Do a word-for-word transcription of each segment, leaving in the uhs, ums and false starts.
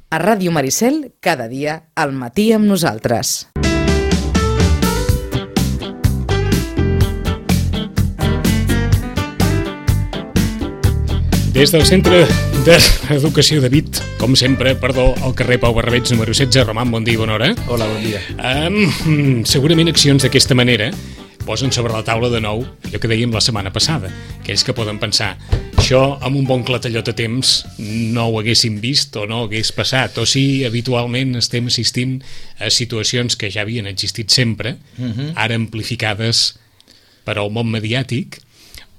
A Ràdio Maricel, cada dia al matí amb nosaltres. Des del Centre d'Educació de Vic, com sempre, perdó, al carrer Pau Barrabets, número setze. Roman, bon dia i bona hora. Hola, bon dia. Um, segurament accions d'aquesta manera posen sobre la taula de nou allò que dèiem la setmana passada, aquells que poden pensar això amb un bon clatellot a temps no ho haguéssim vist o no hagués passat, o si habitualment estem assistint a situacions que ja havien existit sempre, uh-huh. ara amplificades per al món mediàtic,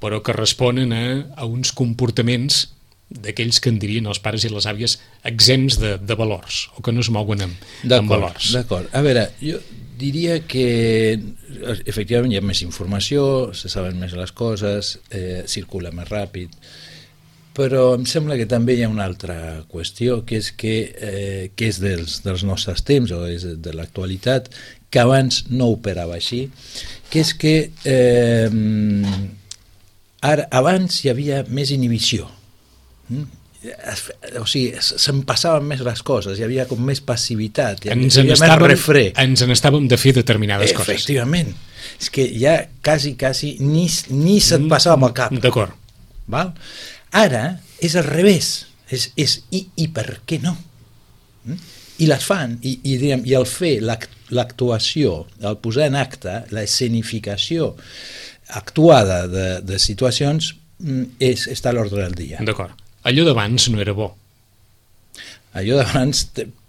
però que responen a, a uns comportaments d'aquells que en dirien els pares i les àvies exempts de, de valors, o que no es mouen amb, amb valors. D'acord, a veure, jo diria que efectivament hi ha més informació, se saben més les coses, eh, circula més ràpid, però em sembla que també hi ha una altra qüestió, que és que, eh, que és dels, dels nostres temps, o és de l'actualitat, que abans no operava així, que és que eh, ara, abans hi havia més inhibició, mm? o sigui, se'n passaven més les coses, hi havia com més passivitat, hi havia, ens, hi havia més refrè. Ens n'estàvem de fer determinades Efectivament. coses. Efectivament. És que ja quasi, quasi ni, ni se't passava amb el cap. D'acord. Val? Ara és al revés. És, és i, i per què no? Mm? I les fan, i, i, diguem, i el fer, l'actuació, el posar en acte, la escenificació actuada de, de situacions és, està a l'ordre del dia. D'acord. Allò d'abans no era bo. Allò d'abans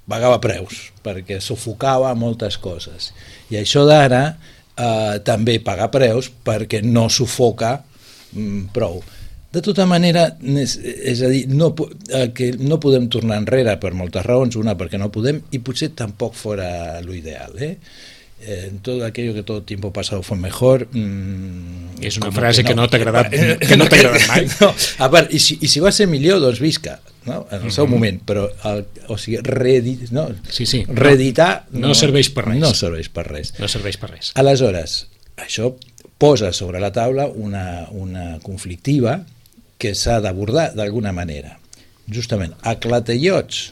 pagava preus, perquè sufocava moltes coses. I això d'ara eh, també paga preus perquè no sufoca mm, prou. De tota manera, és, és a dir, no, eh, que no podem tornar enrere per moltes raons, una perquè no podem, i potser tampoc fora l'ideal, eh? En todo aquello que todo el tiempo pasado fue mejor. Mmm, és una frase que no, que no t'ha agradat, que no t'ha agradat mai. No, a part, i si, i si va ser millor, doncs visca, no? En el uh-huh. seu moment, però el, o sigui, reedit, no? sí, sí. reeditar no, no serveix per res. No serveix per res. No serveix per res. Aleshores, això posa sobre la taula una, una conflictiva que s'ha d'abordar d'alguna manera. Justament, a clatellots,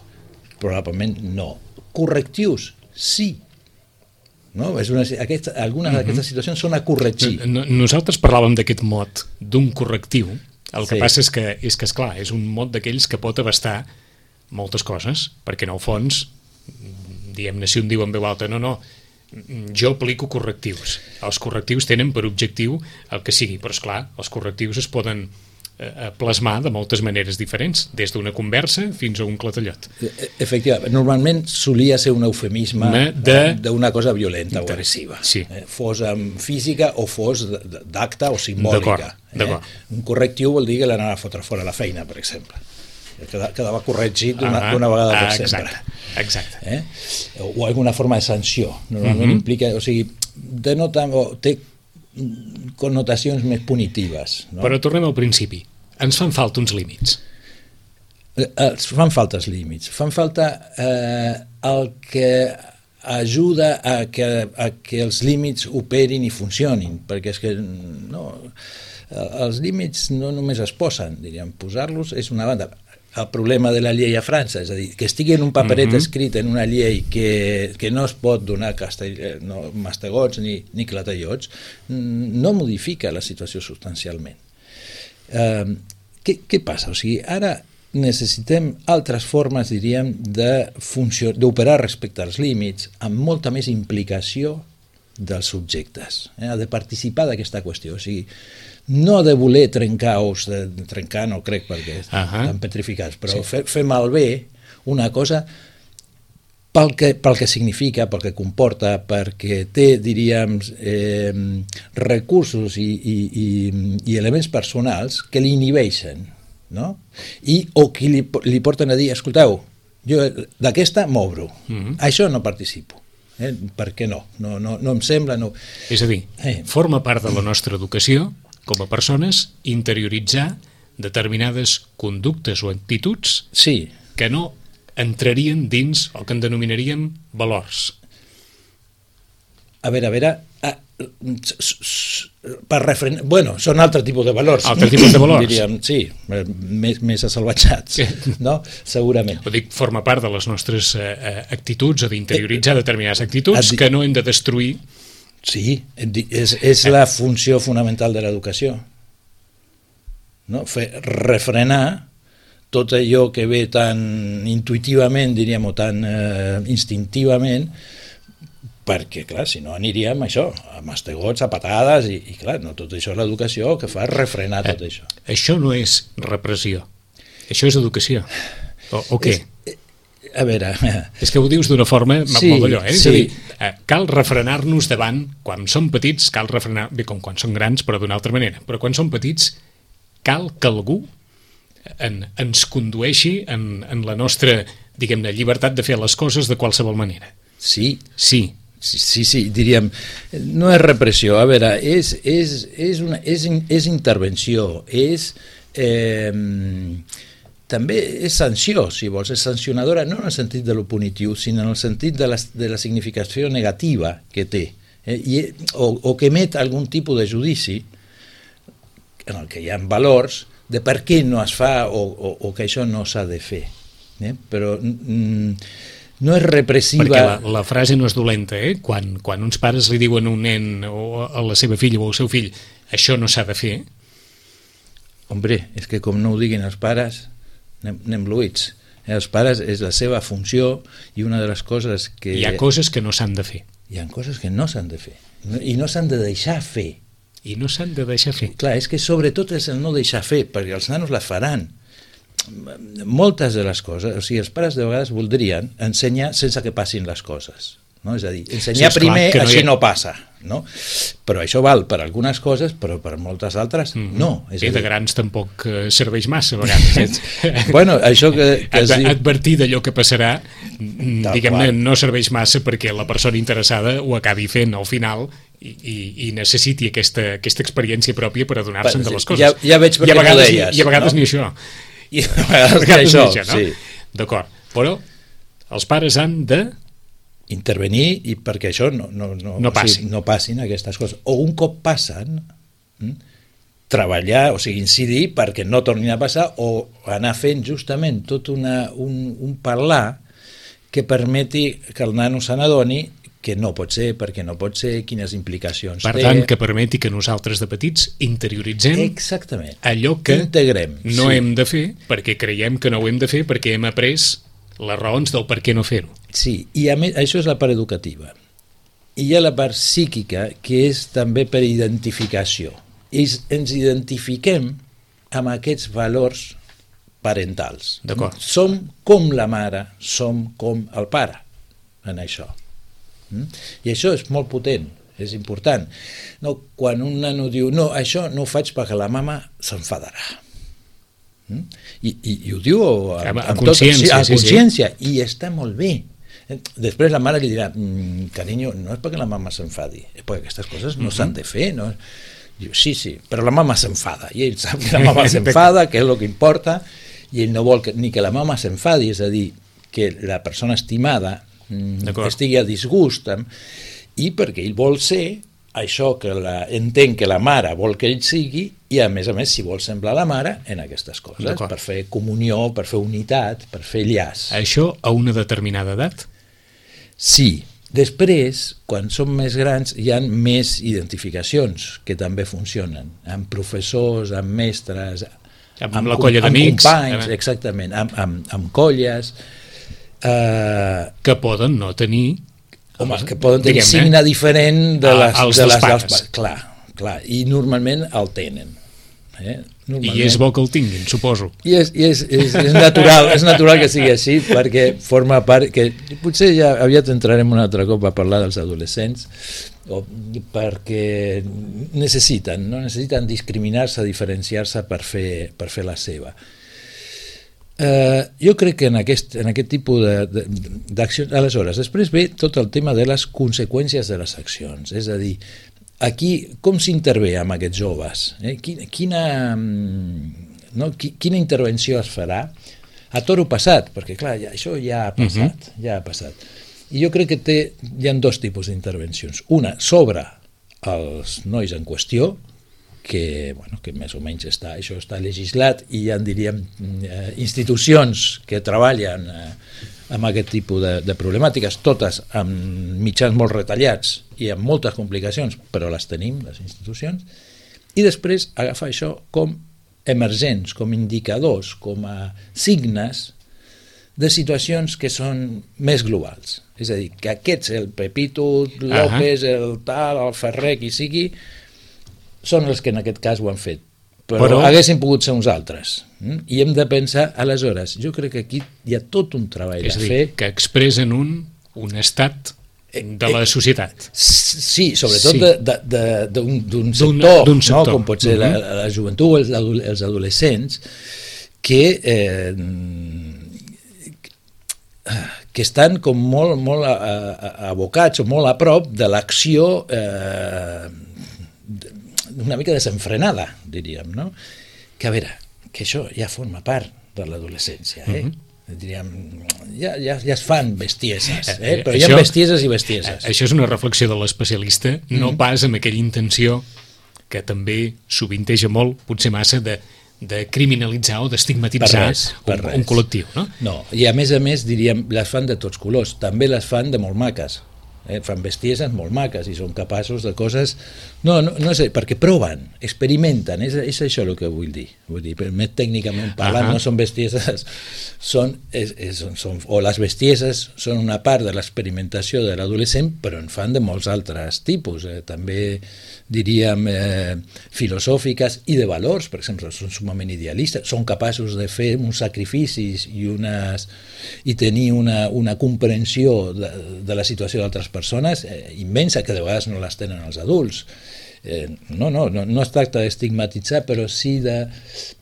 probablement no. Correctius, sí. No? És una, aquesta, algunes uh-huh. d'aquestes situacions són a corregir. Nosaltres parlàvem d'aquest mot d'un correctiu. El que sí. passa és que, és que esclar, és un mot d'aquells que pot abastar moltes coses, perquè en el fons, diguem-ne, si un diu en veu alta, no, no, jo aplico correctius. Els correctius tenen per objectiu el que sigui, però esclar, els correctius es poden a plasmar de moltes maneres diferents, des d'una conversa fins a un clatellot. Efectivament, normalment solia ser un eufemisme d'una cosa violenta o agressiva, sí. eh, fos física o fos d'acte o simbòlica. D'acord, d'acord. Eh? Un correctiu vol dir que l'anava a fotre fora la feina, per exemple. Quedava corregit d'una ah, vegada per ah, sempre. Exacte, exacte. Eh? O alguna forma de sanció. Normalment uh-huh. implica, o sigui, denota, o té connotacions més punitives. No? Però tornem al principi. Ens fan falta uns límits. Els fan falta els límits. Fan falta eh, el que ajuda a que, a que els límits operin i funcionin, perquè és que no, els límits no només es posen, diríem, posar-los és una banda. El problema de la llei a França, és a dir, que estigui en un paperet uh-huh. escrit en una llei que, que no es pot donar castell, no, mastegots ni, ni clatellots, no modifica la situació substancialment. Uh, què, què passa? O sigui, ara necessitem altres formes, diríem, d'operar respecte als límits, amb molta més implicació dels subjectes, eh? de participar d'aquesta qüestió, o sigui, no de voler trencar ous, de, de trencar no crec perquè estan uh-huh. petrificats, però sí. fer, fer malbé una cosa pel que, pel que significa, pel que comporta, perquè té, diríem, eh, recursos i, i, i, i elements personals que li inhibeixen, no? I, o que li, li porten a dir, escolteu, jo d'aquesta m'obro, uh-huh. això no participo. Eh? Per què no? No, no? no em sembla... No. És a dir, eh. forma part de la nostra educació com a persones, interioritzar determinades conductes o actituds sí. que no entrarien dins el que en denominaríem valors. A veure, a veure, per refrenar... Bueno, són altre tipus de valors. Altre tipus de valors. Diríem, sí, més, més assalvatjats, no? Segurament. Ho dic, forma part de les nostres eh, actituds o d'interioritzar determinades actituds que no hem de destruir. Sí, és, és la funció fonamental de l'educació. No? Fer, refrenar tot allò que ve tan intuïtivament, diríem, o tan eh, instintivament, perquè, clar, si no aniríem això, a mastegots, a patades, i, i clar, no tot això és l'educació que fa refrenar tot eh, això. Això no és repressió, això és educació. O, o què? És, a veure... És que ho dius d'una forma sí, molt d'allò, eh? És sí. a dir, eh, cal refrenar-nos davant, quan som petits, cal refrenar, bé, com quan som grans, però d'una altra manera, però quan som petits, cal que algú en, ens condueixi en, en la nostra, diguem-ne, llibertat de fer les coses de qualsevol manera. Sí. Sí. Sí, sí, sí, diríem, no és repressió, a veure, és, és, és, una, és, és intervenció, és, eh, també és sanció, si vols, és sancionadora, no en el sentit de lo punitiu, sinó en el sentit de la, de la significació negativa que té, eh, i, o, o que emet algun tipus de judici en el que hi ha valors de per què no es fa o, o, o que això no s'ha de fer, eh? Però... Mm, no és repressiva... Perquè la, la frase no és dolenta, eh? Quan, quan uns pares li diuen a un nen o a la seva filla o al seu fill això no s'ha de fer... Hombre, és que com no ho diguin els pares, anem, anem bluïts. Els pares és la seva funció i una de les coses que... Hi ha coses que no s'han de fer. Hi ha coses que no s'han de fer. I no s'han de deixar fer. I no s'han de deixar fer. Clar, és que sobretot és el no deixar fer, perquè els nanos la faran. Moltes de les coses, o sigui, els pares de vegades voldrien ensenyar sense que passin les coses, no? És a dir, ensenyar sí, primer, no així ha... no passa, no? Però això val per algunes coses, però per moltes altres mm-hmm. no. És I de dir... grans tampoc serveix massa a vegades. Bueno, això que, que Ad, diu... advertir d'allò que passarà, diguem-ne, no serveix massa perquè la persona interessada ho acabi fent al final i, i, i necessiti aquesta, aquesta experiència pròpia per adonar-se'n de les coses. Ja, ja veig per què ho deies. I a vegades no? ni això. I a vegades que això, això no? Sí. D'acord, però els pares han de intervenir i perquè això no, no, no, no, passi. o sigui, no passin aquestes coses, o un cop passen hm, treballar, o sigui, incidir perquè no tornin a passar, o anar fent justament tot una, un, un parlar que permeti que el nano se n'adoni que no pot ser, perquè no pot ser, quines implicacions per té. tant, que permeti que nosaltres de petits interioritzem exactament allò que integrem, no sí. hem de fer perquè creiem que no ho hem de fer perquè hem après les raons del per què no fer-ho. Sí, i a més, això és la part educativa. I hi ha la part psíquica, que és també per identificació. I ens identifiquem amb aquests valors parentals. Som com la mare, som com el pare en això. I això és molt potent, és important. No, quan un nano diu no, això no ho faig perquè la mama s'enfadarà. I, i, i ho diu amb, a amb consciència, tot, sí, a sí, consciència sí. I està molt bé. Després la mare li dirà mm, carinyo, no és perquè la mama s'enfadi, és perquè aquestes coses no uh-huh. s'han de fer, no? Diu, sí, sí, però la mama s'enfada i ell sap que la mama s'enfada, que és el que importa, i ell no vol que, ni que la mama s'enfadi, és a dir, que la persona estimada estigui a disgust, i perquè ell vol ser això que la, entén que la mare vol que ell sigui, i a més a més si vol semblar la mare en aquestes coses, per fer comunió, per fer unitat, per fer llaç. Això a una determinada edat? Sí. Després, quan som més grans, hi ha més identificacions que també funcionen, amb professors, amb mestres, amb, amb la colla d'amics, amb companys, exactament, amb, amb, amb colles, Uh, que poden no tenir home, que poden tenir signe diferent de les, a, de dels les pares. Dels, clar, clar, i normalment el tenen. Eh? Normalment. I és bo que el tinguin, suposo. I és, i és, és, és, natural, és natural que sigui així, perquè forma part... que potser ja aviat entrarem un altre cop a parlar dels adolescents, o perquè necessiten, no? necessiten discriminar-se, diferenciar-se per fer, per fer la seva. Uh, jo crec que en aquest, en aquest tipus d'accions... Aleshores, després ve tot el tema de les conseqüències de les accions, és a dir, aquí com s'intervé amb aquests joves? Eh? Quina, quina, no? quina intervenció es farà a toro passat? Perquè clar, ja, això ja ha passat, uh-huh. ja ha passat. I jo crec que té, hi ha dos tipus d'intervencions. Una, sobre als nois en qüestió, que, bueno, que més o menys està, això està legislat i hi ha, diríem, institucions que treballen amb aquest tipus de, de problemàtiques, totes amb mitjans molt retallats i amb moltes complicacions, però les tenim, les institucions, i després agafar això com emergents, com indicadors, com a signes de situacions que són més globals. És a dir, que aquests, el Pepito López, uh-huh. el tal, el Ferrer, qui sigui, són els que en aquest cas ho han fet. Però, però haguessin pogut ser uns altres. Mm? I hem de pensar, aleshores, jo crec que aquí hi ha tot un treball és a dir, fer. Que expressen un, un estat de la societat. Sí, sobretot sí. d'un sector, d'un sector, no? Com pot ser uh-huh. la, la joventut, els, els adolescents, que... Eh, que estan com molt, molt abocats o molt a prop de l'acció eh, una mica desenfrenada, diríem, no? Que a veure, que això ja forma part de l'adolescència, eh? Uh-huh. Diríem, ja, ja, ja es fan bestieses, eh? Però hi ha bestieses i bestieses. Això és una reflexió de l'especialista, no mm. pas amb aquella intenció que també sovinteja molt, potser massa, de de criminalitzar o d'estigmatitzar un, un col·lectiu, no? No, i a més a més, diríem, les fan de tots colors, també les fan de molt maques, eh? Fan bestieses molt maques i són capaços de coses... No, no, no sé, perquè proven, experimenten, és, és això el que vull dir. Vull dir, més tècnicament parlant, uh-huh. no són bestieses, són, és, és, són, o les bestieses són una part de l'experimentació de l'adolescent, però en fan de molts altres tipus, eh? També diríem eh, filosòfiques i de valors, per exemple, són sumament idealistes, són capaços de fer uns sacrificis i, unes, i tenir una, una comprensió de, de la situació d'altres persones eh, immensa, que de vegades no les tenen els adults. Eh, no, no, no, no es tracta d'estigmatitzar, però sí de,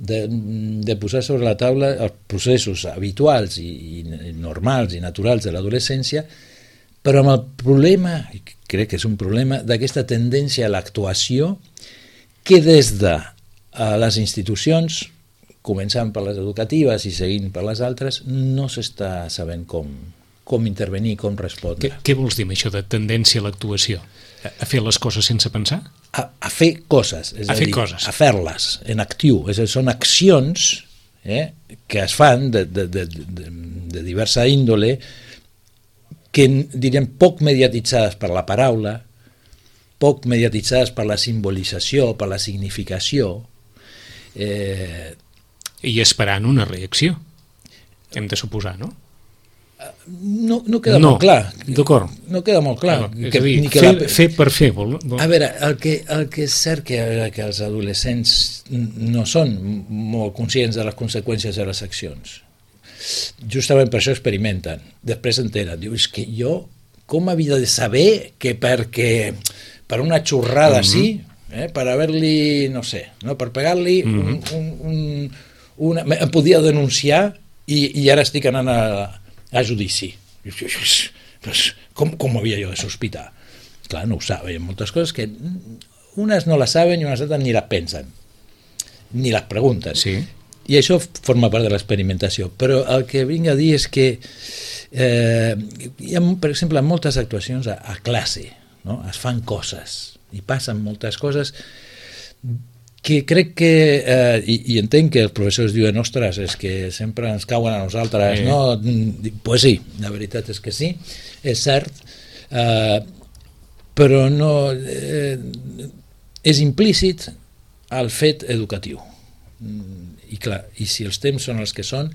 de, de posar sobre la taula els processos habituals i, i normals i naturals de l'adolescència, però amb el problema, crec que és un problema, d'aquesta tendència a l'actuació que des de les institucions, començant per les educatives i seguint per les altres, no s'està sabent com, com intervenir, com respondre. Què, què vols dir amb això de tendència a l'actuació? A fer les coses sense pensar? A, a fer coses, és a, a dir, coses. A fer-les en actiu, és a dir, són accions eh, que es fan de, de, de, de, de diversa índole, que diríem poc mediatitzades per la paraula, poc mediatitzades per la simbolització, per la significació. Eh... I esperant una reacció, hem de suposar, no? No, no queda no, molt clar. D'acord. No queda molt clar. No, que, dir, ni que fer, la... fer per fer. Vol, vol... A veure, el que, el que és cert que, que els adolescents no són molt conscients de les conseqüències de les accions. Justament per això experimenten, després s'entenen, diu, és que jo com havia de saber que perquè per una xorrada mm-hmm. sí, eh, per haver-li, no sé, no, per pegar-li mm-hmm. un, un, un, una, em podia denunciar i, i ara estic anant a, a judici. Com, com havia jo de sospitar? Clar, no ho saben, hi ha moltes coses que unes no les saben i unes altres ni les pensen, ni les pregunten. Sí. I això forma part de l'experimentació, però el que vinc a dir és que eh, hi ha, per exemple, moltes actuacions a, a classe, no? Es fan coses i passen moltes coses que crec que, eh, i, i entenc que els professors diuen, ostres, és que sempre ens cauen a nosaltres, sí. No? Pues sí, la veritat és que sí, és cert, eh, però no eh, és implícit el fet educatiu. I clar, i si els temps són els que són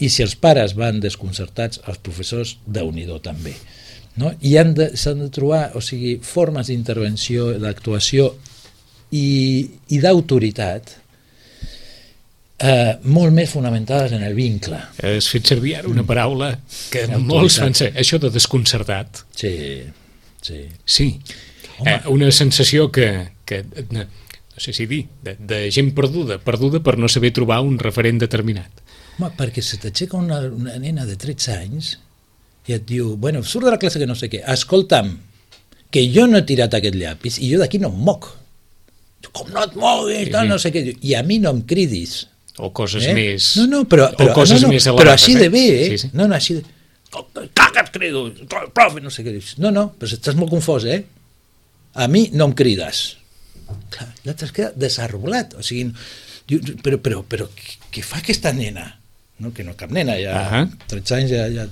i si els pares van desconcertats, els professors déu-n'hi-do també, no? I han de, s'han de trobar, o sigui, formes d'intervenció, d'actuació i, i d'autoritat eh, molt més fonamentades en el vincle. Has fet servir ara una paraula que molts fan ser, això de desconcertat. Sí, sí. Sí, eh, una sensació que, que no sé si dir, de, de gent perduda, perduda per no saber trobar un referent determinat. Home, perquè se t'aixeca una, una nena de tretze anys i et diu, bueno, surt de la classe que no sé què, escolta'm, que jo no he tirat aquest llapis i jo d'aquí no em moc. Com no et moguis, sí, no, no sé què. I a mi no em cridis. O coses eh? més... No, no, però, però, o coses no, no, més però així de bé, eh? Sí, sí. No, no, així de... Caca, et crido, profe, no sé què dius. No, no, però estàs molt confós, eh? a mi no em crides. Clar, l'altre es queda desarbolat, o sigui, diu, però, però, però què fa aquesta nena? No, que no cap nena, ja uh -huh. tretze anys ja, ja...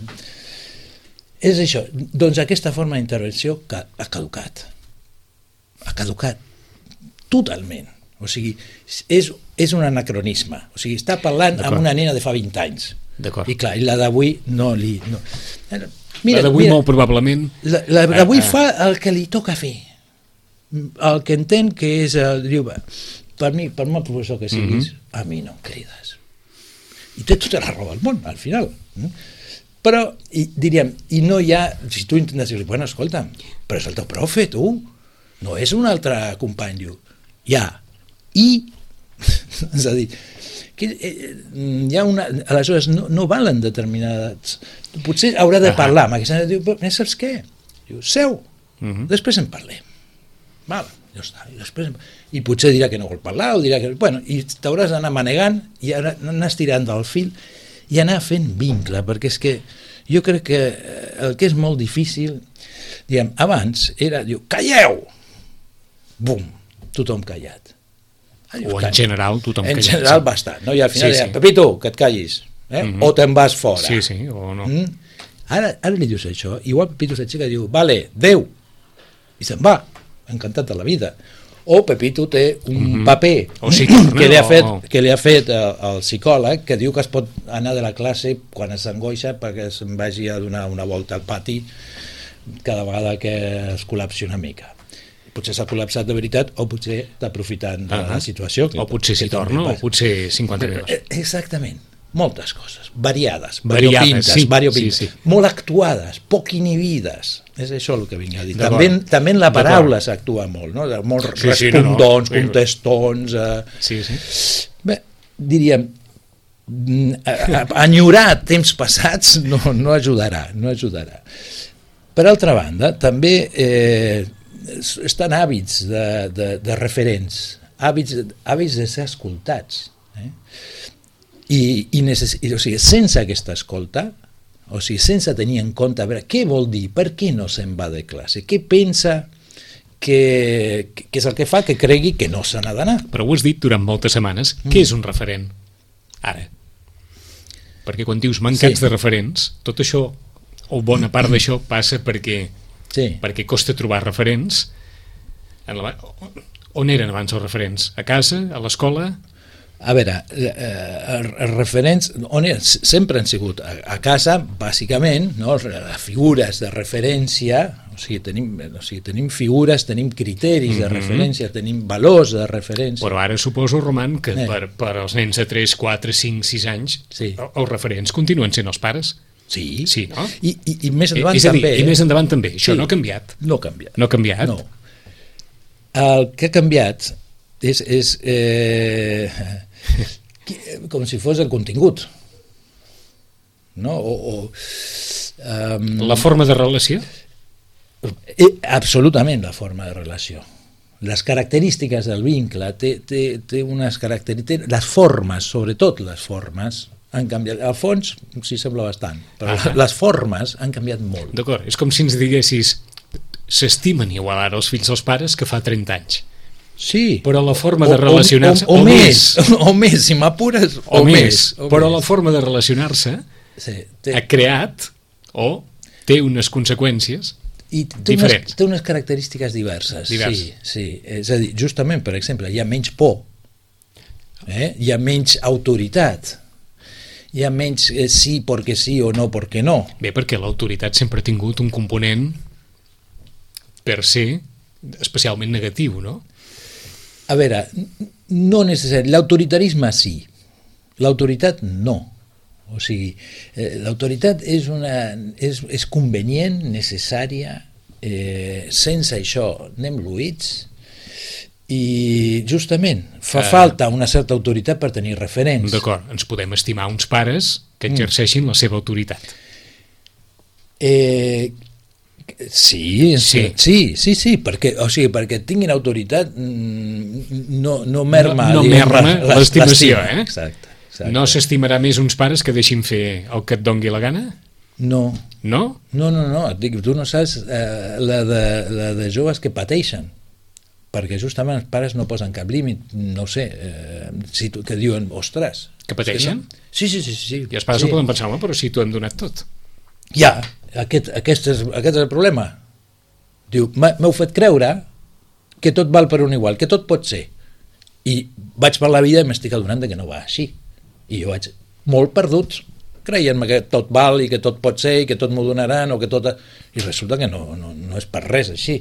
És això, doncs aquesta forma d'intervenció que ha caducat. Ha caducat totalment. O sigui, és, és un anacronisme. O sigui, està parlant amb una nena de fa vint anys. I clar, i la d'avui no li... No. Mira, la d'avui molt probablement... La, la d'avui fa el que li toca fer. El que entén que és... El, diu, per mi, per molt professor que siguis, uh -huh. a mi no em crides. I té tota la raó del món, al final. Però, i, diríem, i no hi ha... Si tu intentes dir-li, bueno, escolta'm, però és el teu profe, tu. No és un altre company, diu. Ja. I... és a dir, que hi ha una... Aleshores, no, no valen determinats... Potser haurà de parlar amb aquesta... Diu, però saps què? Diu, seu, uh -huh. després en parlem. Val, ja està. I, després... I potser dirà que no vol parlar, o dirà que... Bueno, i t'hauràs d'anar manegant i anar estirant del fil i anar fent vincle, perquè és que jo crec que el que és molt difícil... Diguem, abans era... Diu, calleu! Bum! Tothom callat. O en general tothom en callat. En general bastant, no? I al final sí, deia, sí. Pepito, que et callis, eh? uh -huh. o te'n vas fora. Sí, sí, o no. Mm? Ara, ara li dius això, igual Pepito s'aixeca i diu, vale, adeu, i se'n va, encantat de la vida. O Pepito té un uh -huh. paper o si torna, que, li ha fet, o... que li ha fet el, el psicòleg, que diu que es pot anar de la classe quan s'angoixa perquè se'n vagi a donar una volta al pati cada vegada que es col·lapsi una mica. Potser s'ha col·lapsat de veritat o potser està aprofitant de ah, la situació. O potser s'hi torna o potser cinquanta minuts. Exactament. Moltes coses, variades, variades variopintes, sí, variopintes sí, sí. molt actuades, poc inhibides. És això el que vinc a dir. També, també en la paraula s'actua molt, no? Molt sí, respondons, sí, no, no. contestons... Eh... Sí, sí. Bé, diríem, enyorar temps passats no, no ajudarà, no ajudarà. Per altra banda, també... Eh, estan hàbits de, de, de referents, hàbits, hàbits de ser escoltats. Eh? I, i, necess, i o sigui, sense aquesta escolta, o sigui, sense tenir en compte, a veure, què vol dir, per què no se'n va de classe, què pensa que, que és el que fa que cregui que no se n'ha d'anar. Però ho has dit durant moltes setmanes, mm. què és un referent? Ara. Perquè quan dius mancats sí. de referents, tot això, o bona part d'això, passa perquè... Sí. perquè costa trobar referents en la... on eren abans els referents? A casa? A l'escola? A veure, eh, els referents on eren? Sempre han sigut a, a casa, bàsicament, no? Les figures de referència, o sigui, tenim, o sigui, tenim figures, tenim criteris mm-hmm. de referència, tenim valors de referència. Però ara suposo, Roman, que eh. per, per als nens de tres, quatre, cinc, sis anys sí. els referents continuen sent els pares. Sí, sí no? I, i, i més endavant és a dir, també. I més endavant també, això sí. no ha canviat. No ha canviat. No ha canviat? No. El que ha canviat és, és eh, com si fos el contingut. No? O, o, um, la forma de relació? Eh, absolutament la forma de relació. Les característiques del vincle, té, té, té unes característiques, les formes, sobretot les formes, han canviat. Al fons s'hi sembla bastant, però ah. les formes han canviat molt. D'acord, és com si ens diguessis s'estimen igual ara els fills dels pares que fa trenta anys. Sí. Però la forma o, de relacionar-se... O, o, o, o, o més, o més, si m'apures, o, o més. més. O però més. La forma de relacionar-se sí, té... ha creat o té unes conseqüències i té diferents. Unes, té unes característiques diverses. diverses. Sí, sí. És a dir, justament, per exemple, hi ha menys por, eh? hi ha menys autoritat, hi ha menys eh, sí perquè sí o no perquè no. Bé, perquè l'autoritat sempre ha tingut un component per ser especialment negatiu, no? A veure, no necessari. L'autoritarisme sí, l'autoritat no. O sigui, eh, l'autoritat és, una, és, és convenient, necessària, eh, sense això anem lluïts i justament fa uh, falta una certa autoritat per tenir referents. D'acord, ens podem estimar uns pares que exerceixin mm. la seva autoritat. Eh, sí, sí, sí, sí, sí, perquè, o sigui, perquè tinguin autoritat no, no merma, no, no diguem, merma l'estimació, eh? Exacte. Exacte. No s'estimarà més uns pares que deixin fer el que et dongui la gana? No, no? No, no, no, et dic, tu no saps eh, la, de, la de joves que pateixen, perquè justament els pares no posen cap límit, no ho sé, eh, si tu, que diuen, ostres... Que pateixen? No? Sí, sí, sí, sí. I els pares sí. no poden pensar, home, però si t'ho hem donat tot. Ja, aquest, aquest, és, aquest és el problema. Diu, m'heu fet creure que tot val per un igual, que tot pot ser. I vaig per la vida i m'estic adonant que no va així. I jo vaig molt perdut, creient-me que tot val i que tot pot ser i que tot m'ho donaran o que tot... I resulta que no, no, no és per res així.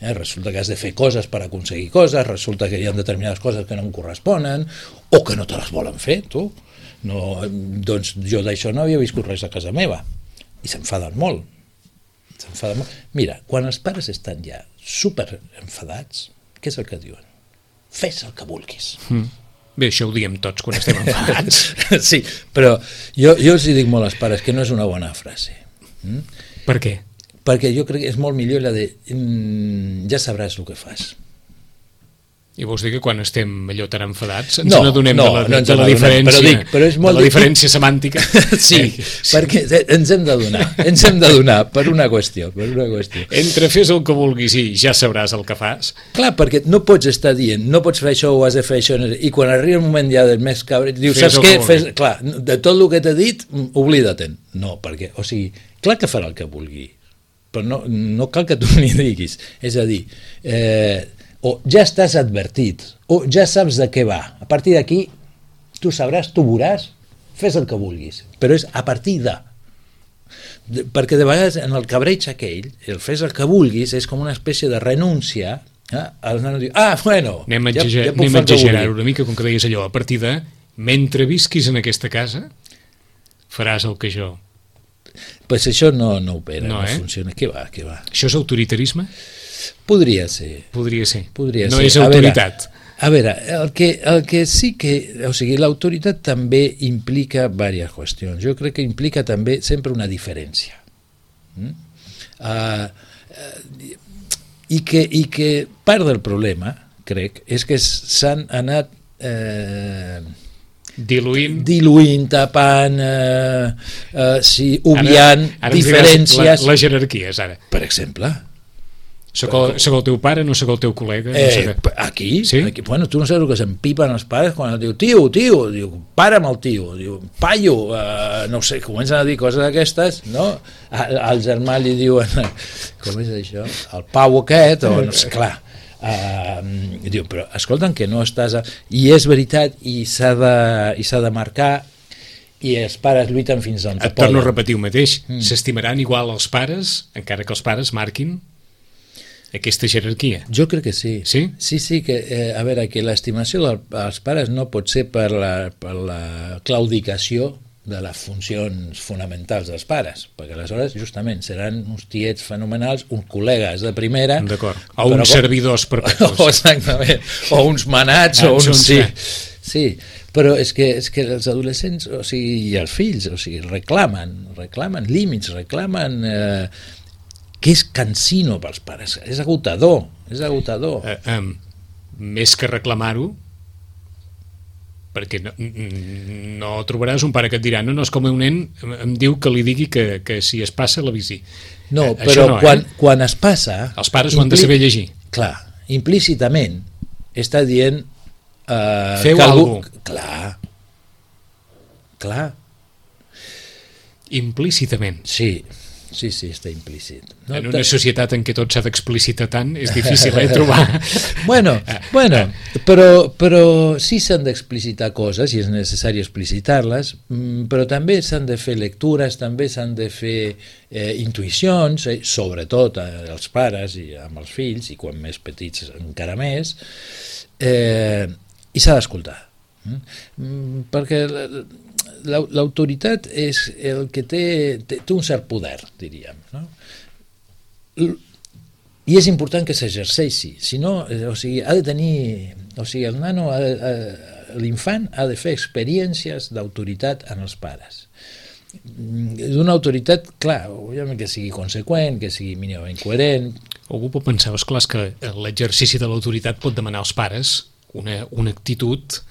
Eh? Resulta que has de fer coses per aconseguir coses, resulta que hi ha determinades coses que no em corresponen o que no te les volen fer, tu. No, doncs jo d'això no havia viscut res a casa meva. I s'enfaden molt. S'enfaden molt. Mira, quan els pares estan ja super enfadats, què és el que diuen? Fes el que vulguis. Mm. Bé, això ho diem tots quan estem enfadats. Sí, però jo, jo els dic molt als pares que no és una bona frase. Mm? Per què? Perquè jo crec que és molt millor la de mm, ja sabràs el que fas. I vols dir que quan estem allò tan enfadats ens no, n'adonem no, de la, no de la diferència, però dic, però és molt de la diferència semàntica? Sí, sí, perquè ens hem de donar, ens hem de donar per una qüestió, per una qüestió. Entre fes el que vulguis i ja sabràs el que fas. Clar, perquè no pots estar dient, no pots fer això o has de fer això, i quan arriba el moment ja del més cabret, dius, fes saps què? Fes, clar, de tot el que t'he dit, oblida-te'n. No, perquè, o sigui, clar que farà el que vulgui, però no, no cal que tu n'hi diguis. És a dir, eh, o ja estàs advertit, o ja saps de què va. A partir d'aquí, tu sabràs, tu veuràs, fes el que vulguis. Però és a partir de... de perquè de vegades en el cabreig aquell, el fes el que vulguis, és com una espècie de renúncia. Eh? El nano diu, ah, bueno... Anem a ja, exagerar, ja puc anem fer a el que exagerar vulgui. una mica, com que deies allò, a partir de, mentre visquis en aquesta casa, faràs el que jo... Pues això no, no opera, no, no eh? funciona. Què va, què va? Això és autoritarisme? Podria ser. Podria ser. Podria no ser. és autoritat. A veure, a veure el, que, el que sí que... O sigui, l'autoritat també implica diverses qüestions. Jo crec que implica també sempre una diferència. Mm? Uh, uh, i, que, I que part del problema, crec, és que s'han anat... Eh, diluint diluint, tapant, eh, eh, sí, obviant ara, ara diferències. La, la jerarquies, ara. Per exemple. Soc el, soc el teu pare, no soc el teu col·lega. Eh, no sé què. aquí, sí? aquí, bueno, tu no saps el que s'empipen els pares quan diu, tio, tio, diu, para amb el tio, diu, paio, eh, no sé, comencen a dir coses d'aquestes, no? Al, al germà li diuen, com és això? El pau aquest, o no sé, clar. Uh, diu, però escolta'm que no estàs a... i és veritat i s'ha de, i s'ha de marcar i els pares lluiten fins on et poden. torno a repetir el mateix, mm. s'estimaran igual els pares encara que els pares marquin aquesta jerarquia. Jo crec que sí. Sí? Sí, sí, que, eh, a veure, que l'estimació del, dels pares no pot ser per la, per la claudicació de les funcions fonamentals dels pares, perquè aleshores justament seran uns tiets fenomenals, uns col·legues de primera, d'acord, o uns com... servidors perpetus, o, exactament, o uns manats, o uns... Sí, sí, però és que, és que els adolescents, o sigui, i els fills, o sigui, reclamen, reclamen límits, reclamen eh, que és cansino pels pares, és agotador, és agotador. Eh, eh, més que reclamar-ho, perquè no, no trobaràs un pare que et dirà no, no, és com un nen em diu que li digui que, que si es passa l'avisi. No, eh, però no, quan, eh? quan es passa... Els pares ho han de saber llegir. Clar, implícitament està dient... Eh, feu que algú... alguna cosa. Clar, clar. Implícitament. Sí, sí, sí, està implícit. No, en una societat en què tot s'ha d'explicitar tant és difícil eh, trobar... bueno, bueno, però, però sí s'han d'explicitar coses i és necessari explicitar-les, però també s'han de fer lectures, també s'han de fer eh, intuïcions, eh, sobretot als pares i amb els fills, i quan més petits encara més, eh, i s'ha d'escoltar. Mm? Perquè... l'autoritat és el que té, té, té un cert poder, diríem, no? I és important que s'exerceixi, si no, o sigui, ha de tenir, o sigui, el nano, ha de, ha, l'infant ha de fer experiències d'autoritat en els pares. D'una autoritat, clar, que sigui conseqüent, que sigui mínimament coherent. Algú pot pensar, esclar, que l'exercici de l'autoritat pot demanar als pares una, una actitud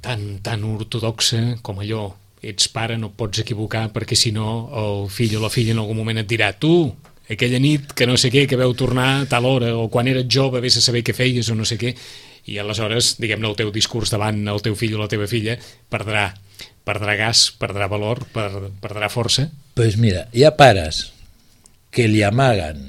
tan, tan ortodoxa com allò, ets pare, no et pots equivocar, perquè si no el fill o la filla en algun moment et dirà tu, aquella nit que no sé què, que veu tornar a tal hora, o quan eres jove vés a saber què feies o no sé què, i aleshores, diguem-ne, el teu discurs davant el teu fill o la teva filla perdrà, perdrà gas, perdrà valor, per, perdrà força. Doncs pues mira, hi ha pares que li amaguen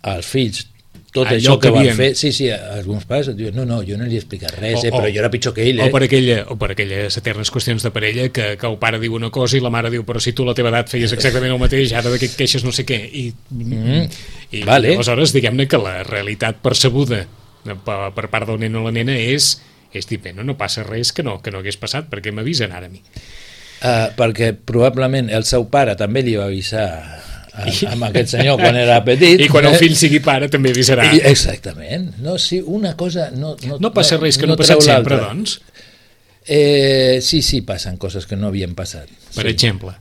als fills tot allò això que, que van havien. fer. Sí, sí, alguns pares et diuen, no, no, jo no li he explicat res, O- eh, però o- jo era pitjor que ell. Eh? O per, aquella, o per aquelles eternes qüestions de parella que, que el pare diu una cosa i la mare diu però si tu a la teva edat feies exactament el mateix, ara de què et queixes no sé què. I, Mm. i Vale. aleshores diguem-ne que la realitat percebuda per, per part del nen o la nena és, és dir, bé, no, no passa res que no, que no hagués passat, perquè m'avisen ara a mi. Uh, perquè probablement el seu pare també li va avisar a, amb aquest senyor quan era petit. I quan el fill sigui pare també avisarà. I, exactament. No, sí, una cosa no, no, No passa res que no, no ha treu passat sempre, l'altra. doncs, Eh, sí, sí, passen coses que no havien passat. per sí. exemple.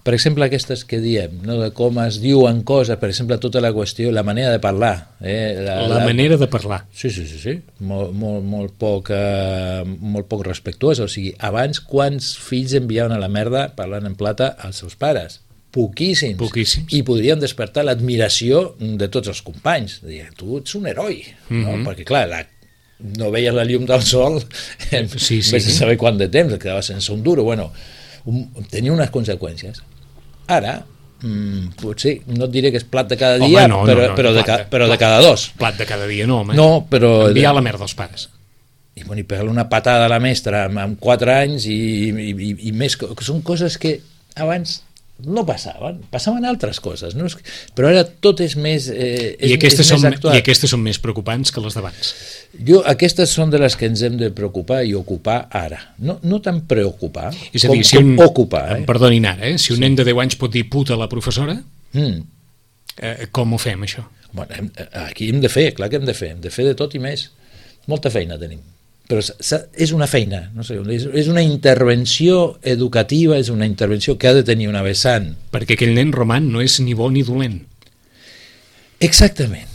Per exemple, aquestes que diem, no, de com es diuen coses, per exemple, tota la qüestió, la manera de parlar. Eh, La, la manera de parlar. Sí, sí, sí, sí. Molt, molt, molt, poc, eh, molt poc respectuós. O sigui, abans, quants fills enviaven a la merda parlant en plata als seus pares? Poquíssims. Poquíssims. I podrien despertar l'admiració de tots els companys. Dir, tu ets un heroi. Mm-hmm. No? Perquè, clar, la, no veies la llum del sol, Sí, sí. vés a saber quant de temps, et quedaves sense un duro. Bueno, un, tenia unes conseqüències. Ara, mm, potser, no et diré que és plat de cada Home, dia, no, però, no, no, però, de, plat ca, de- però de plat- cada dos. Plat de cada dia no, home. No, però... Enviar la merda als pares. I, bueno, i pegar-li una patada a la mestra amb, amb quatre anys i, i, i, i més, co- que són coses que abans no passaven, passaven altres coses, no? Però ara tot és més, eh, és, I aquestes, és són, més actual. I aquestes són més preocupants que les d'abans. Jo, aquestes són de les que ens hem de preocupar i ocupar ara. No, no tant preocupar És a com, dir, si com un, ocupar. Eh? em perdonin ara, eh? si un nen de deu anys pot dir puta a la professora, Mm. eh, com ho fem, això? Bueno, hem, aquí hem de fer, clar que hem de fer, hem de fer de tot i més. Molta feina tenim. Però s'ha- és una feina, no sé, és, és una intervenció educativa, és una intervenció que ha de tenir una vessant. Perquè aquell nen roman no és ni bo ni dolent. Exactament.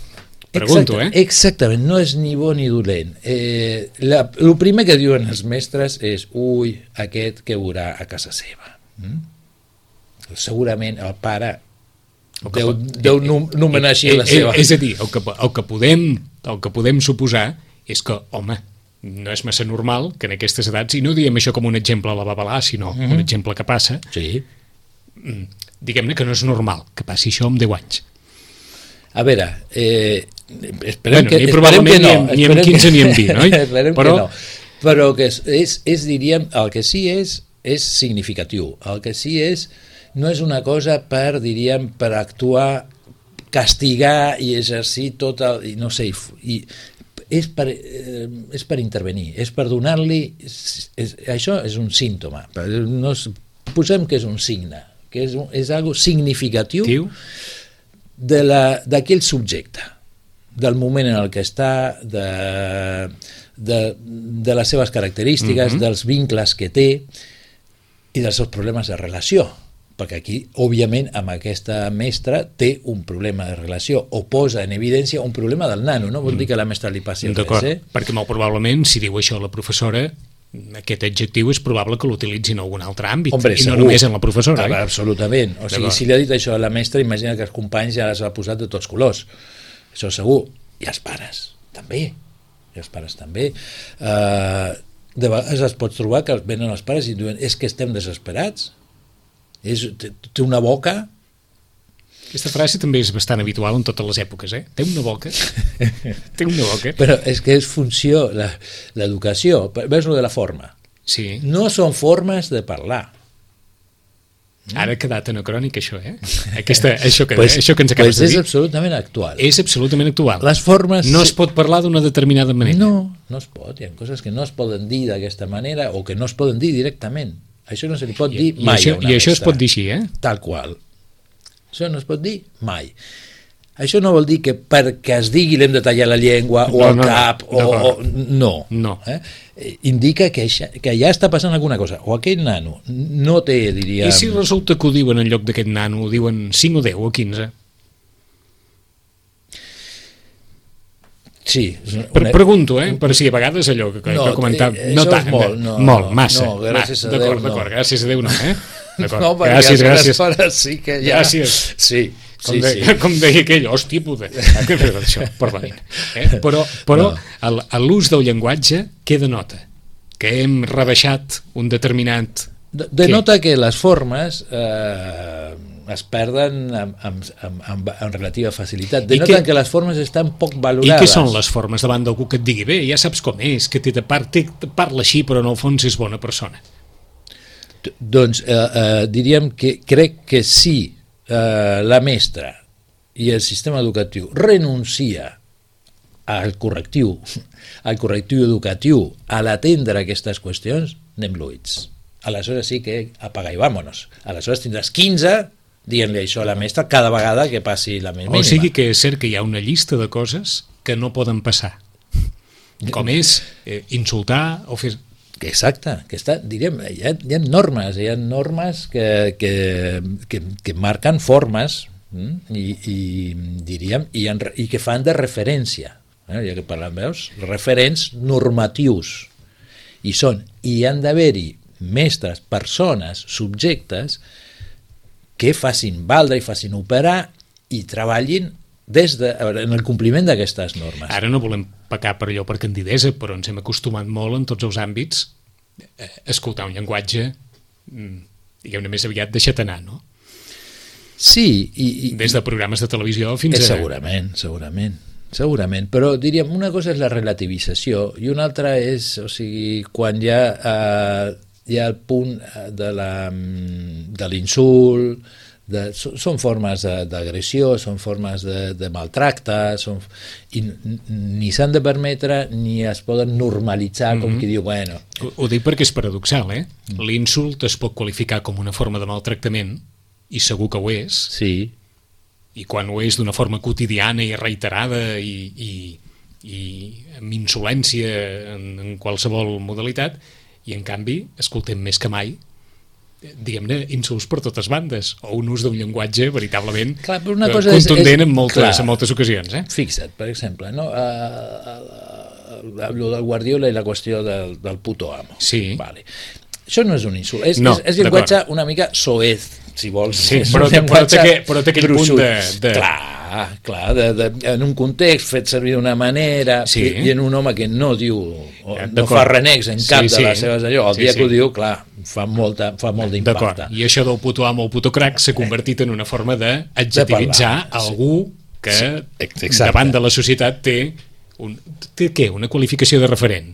Pregunto, Exacta- eh? Exactament, no és ni bo ni dolent. Eh, la, el primer que diuen els mestres és ui, aquest que veurà a casa seva. Mm? Segurament el pare O que deu, pot- deu num- nomenar així Eh, la eh, seva. És a dir, el que, el, que podem, el que podem suposar és que, home, no és massa normal que en aquestes edats, i no diem això com un exemple a la babalà, sinó mm -hmm. un exemple que passa, Sí. diguem-ne que no és normal que passi això amb deu anys. A veure, eh, esperem Bueno, que, ni esperem probablement que no. ni amb- ni amb esperem quinze que- ni amb vint, oi? esperem Però- que no. Però que és, és, és, diríem, el que sí és, és significatiu. El que sí és, no és una cosa per, diríem, per actuar, castigar i exercir tot el... I no sé, i, és per, eh, és per intervenir, és per donar-li... És, és, això és un símptoma. No és, posem que és un signe, que és, un, és algo significatiu Tiu? de la- d'aquell subjecte, del moment en el que està, de, de, de les seves característiques, Mhm. dels vincles que té i dels seus problemes de relació. Perquè aquí, òbviament, amb aquesta mestra té un problema de relació o posa en evidència un problema del nano. No vol dir que a la mestra li passi res, D'acord, eh? perquè molt probablement, si diu això la professora, aquest adjectiu és probable que l'utilitzi en algun altre àmbit, Hombre, i no segur. només en la professora. Ah, Eh? absolutament. O sigui, D'acord. si li ha dit això a la mestra, imagina que els companys ja les ha posat de tots colors. Això segur. I els pares, també. I els pares, també. Uh, de vegades es pot trobar que venen els pares i diuen és que estem desesperats. És, té, té una boca... Aquesta frase també és bastant habitual en totes les èpoques, eh? Té una boca. Té una boca. Però és que és funció, la- l'educació. Veus lo de la forma? Sí. No són formes de parlar. Ara ha quedat anacrònic, això, eh? Aquesta, això, que, Pues- això que ens acabes pues de és dir absolutament actual. és absolutament actual. Les formes... No es pot parlar d'una determinada manera. No, no es pot. Hi ha coses que no es poden dir d'aquesta manera o que no es poden dir directament. Això no se li pot I, dir i, mai això, a una I això es mestra. pot dir així, eh? Tal qual. Això no es pot dir mai. Això no vol dir que perquè es digui l'hem de tallar la llengua o No, el no, no. cap o, D'acord. o... No. No. Eh? Eh, Indica que, això, que ja està passant alguna cosa. O aquell nano no té, diríem... I si resulta que ho diuen en lloc d'aquest nano, ho diuen cinc o deu o quinze? Sí. Una... Pregunto, eh? Per si a vegades allò que, que no, he comentat... Eh, no tant, molt, no, molt, massa. No, gràcies a Déu, d'acord, no. D'acord, gràcies a Déu, no, eh? No, perquè gràcies, gràcies. Hores sí que ja... Gràcies. Sí, com, sí, de, sí. com deia aquell, hòstia puta, això, perdonin. Eh? Però, però no. l'ús del llenguatge, què denota? Que hem rebaixat un determinat... Denota que les formes eh, es perden amb, amb, amb, amb, amb relativa facilitat. Denota que, que les formes estan poc valorades. I què són les formes davant d'algú que et digui bé, ja saps com és, que té de part, té, parla així però en el fons és bona persona? Doncs eh, eh, diríem que crec que si eh, la mestra i el sistema educatiu renuncia al correctiu, al correctiu educatiu, a l'atendre aquestes qüestions, anem luïts. Aleshores sí que apaga i vámonos. Aleshores tindràs quinze dient-li això a la mestra cada vegada que passi la més mínima. O sigui que és cert que hi ha una llista de coses que no poden passar. Com és eh, insultar o fer... Exacte, que està, diríem, hi ha, hi ha normes, hi ha normes que, que, que, que marquen formes mm? I, i diríem i, en, i que fan de referència, eh? Ja que parlem, veus, referents normatius, i són, i han d'haver-hi mestres, persones, subjectes que facin valdre i facin operar i treballin des de, en el compliment d'aquestes normes. Ara no volem pecar per allò per candidesa, però ens hem acostumat molt en tots els àmbits a escoltar un llenguatge diguem-ne més aviat deixat anar, no? Sí. I, i, des de programes de televisió fins a... Segurament, segurament. Segurament, però diríem, una cosa és la relativització i una altra és, o sigui, quan hi ha, eh, hi ha el punt de, la, de l'insult, de, són formes d'agressió, són formes de, de maltracte, són, i ni s'han de permetre ni es poden normalitzar, com mm-hmm. qui diu, bueno... Ho, ho dic perquè és paradoxal, eh? Mm. L'insult es pot qualificar com una forma de maltractament, i segur que ho és, sí. I quan ho és d'una forma quotidiana i reiterada i, i, i amb insolència en, en qualsevol modalitat, i en canvi escoltem més que mai diguem-ne insults per totes bandes o un ús d'un llenguatge veritablement clar, una cosa contundent és, és, en, moltes, clar, en moltes ocasions. Eh? Fixa't, per exemple, no? Uh, uh, uh, lo del Guardiola i la qüestió del, del puto amo. Sí. Vale. Això no és un insult, és, no, és, és llenguatge una mica soez, si vols. Sí, però, però, té, però té aquell gruixut. Punt de... de... Clar, clar de, de, en un context fet servir d'una manera sí. i, i en un home que no diu, o, ja, no fa renecs en cap sí, sí. de les seves allò, el sí, dia sí. que ho diu, clar, fa, molta, fa molt d'impacte. I això del puto amo o puto crac s'ha convertit en una forma d'adjectivitzar de algú que sí. davant de la societat té, un, té què? Una qualificació de referent.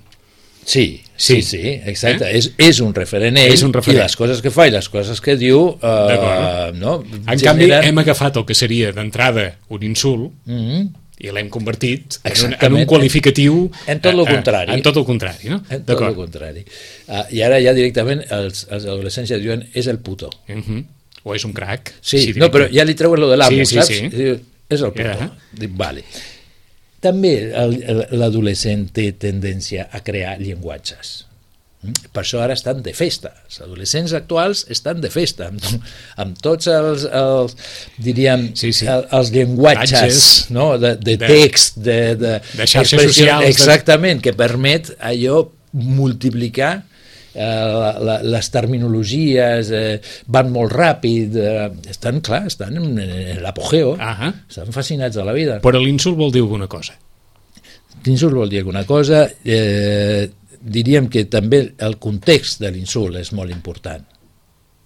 Sí, sí, sí, sí, exacte. Eh? És, és un referent ell és un referent. I les coses que fa i les coses que diu... Eh, no, en canvi, hem agafat el que seria d'entrada un insult mm-hmm. i l'hem convertit en un, en un qualificatiu... En tot el contrari. En tot el contrari, no? En tot el contrari. Uh, I ara ja directament els, els adolescents ja diuen és el puto. Uh-huh. O és un crac. Sí, sí no, però ja li treuen lo de l'amo, sí, sí, saps? Sí. Diu, és el puto. Yeah. Dic, vale. També l'adolescent té tendència a crear llenguatges. Per això ara estan de festa. Els adolescents actuals estan de festa, amb, amb tots els, els diríem, sí, sí. els llenguatges no? de, de text, de, de, de xarxes socials. Exactament, de... que permet allò multiplicar eh, la, la, les terminologies, eh, van molt ràpid, eh, estan, clar, estan en, en l'apogeo, uh-huh. estan fascinats de la vida. Però l'insult vol dir alguna cosa. L'insult vol dir alguna cosa, eh, diríem que també el context de l'insult és molt important.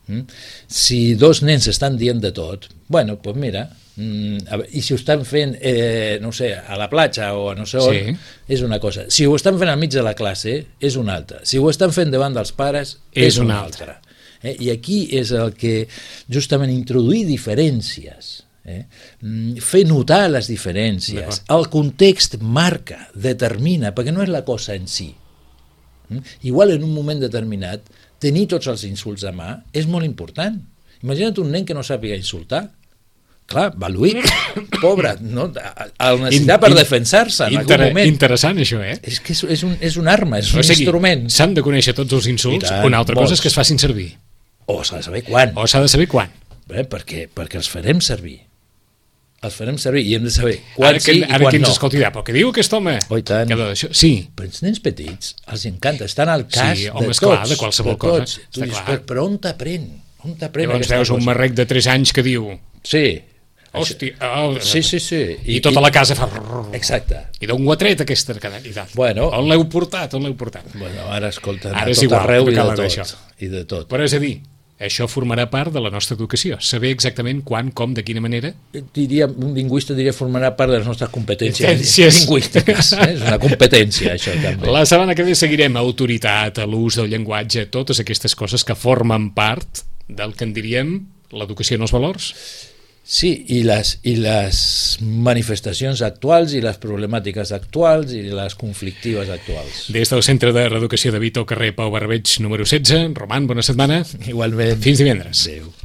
Mm? Si dos nens estan dient de tot, bueno, doncs mira, mm, i si ho estan fent, eh, no sé, a la platja o a no sé on, sí. és una cosa. Si ho estan fent al mig de la classe, és una altra. Si ho estan fent davant dels pares, és, és una altra. altra. Eh? I aquí és el que justament introduir diferències, Eh? fer notar les diferències, el context marca, determina, perquè no és la cosa en si. Mm? Igual en un moment determinat tenir tots els insults a mà és molt important. Imagina't un nen que no sàpiga insultar, clar, valuït, pobre, no? El necessitar per defensar-se en Inter algun moment. Interessant això, eh? És que és, és, un, és una arma, és un o sigui, instrument. S'han de conèixer tots els insults, tant, una altra cosa és que es facin servir. O s'ha de saber quan. O s'ha de saber quan. Eh? Perquè, perquè els farem servir. els farem servir i hem de saber quan ara que, sí i ara quan que ens no. escolti, però què diu aquest home? Oh, i tant. Que d'això- Sí, Però els nens petits els encanta, estan al cas Sí, de home, tots. esclar, de qualsevol cosa, tots. Tu està dius, clar. però, però on t'aprèn? On t'aprèn llavors aquesta veus un cosa? marrec de tres anys que diu Sí. hòstia, oh, Sí, sí, sí. i, tota la casa fa... Exacte. I d'on ho ha tret aquesta cadena? Bueno. On l'heu portat? On l'heu portat? Bueno, ara escolta, Ara a és tot igual, arreu que i cal de d'això. tot. I de tot. Però és a dir, això formarà part de la nostra educació. Saber exactament quan, com, de quina manera... Diria, un lingüista diria formarà part de les nostres competències Competències. lingüístiques. Eh? És una competència, això, també. La setmana que ve seguirem autoritat, a l'ús del llenguatge, totes aquestes coses que formen part del que en diríem l'educació en els valors. Sí, i les, i les manifestacions actuals i les problemàtiques actuals i les conflictives actuals. Des del Centre de Reeducació de Vito, carrer Pau Barbeig, número setze. Roman, bona setmana. Igualment. Fins divendres. Adéu.